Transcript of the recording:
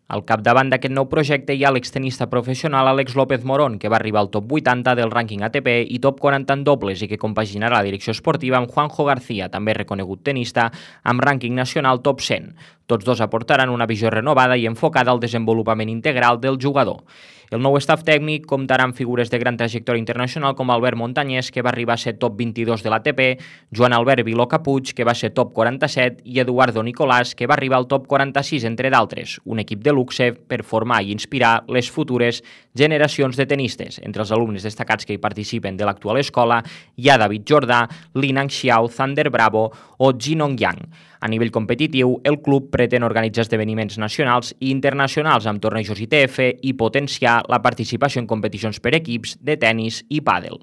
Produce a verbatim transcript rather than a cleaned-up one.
Al capdavant d'aquest nou projecte hi ha l'extenista professional Àlex López Morón, que va arribar al top vuitanta del rànquing A T P i top quaranta en dobles i que compaginarà la direcció esportiva amb Juanjo García, també reconegut tenista, amb rànquing nacional top cent. Tots dos aportaran una visió renovada i enfocada al desenvolupament integral del jugador. El nou staff tècnic comptarà amb figures de gran trajectòria internacional com Albert Montañés, que va arribar a ser top vint-i-dos de l'A T P, Joan Albert Viló Capuig, que va ser top quaranta-set, i Eduardo Nicolás, que va arribar al top quaranta-sis, entre d'altres, un equip de luxe per formar i inspirar les futures generacions de tenistes. Entre els alumnes destacats que hi participen de l'actual escola hi ha David Jordà, Linang Xiao, Zander Bravo o Jinong Yang. A nivell competitiu, el club pretén organitzar esdeveniments nacionals i internacionals amb tornejos I T F i potenciar la participació en competicions per equips de tennis i pàdel.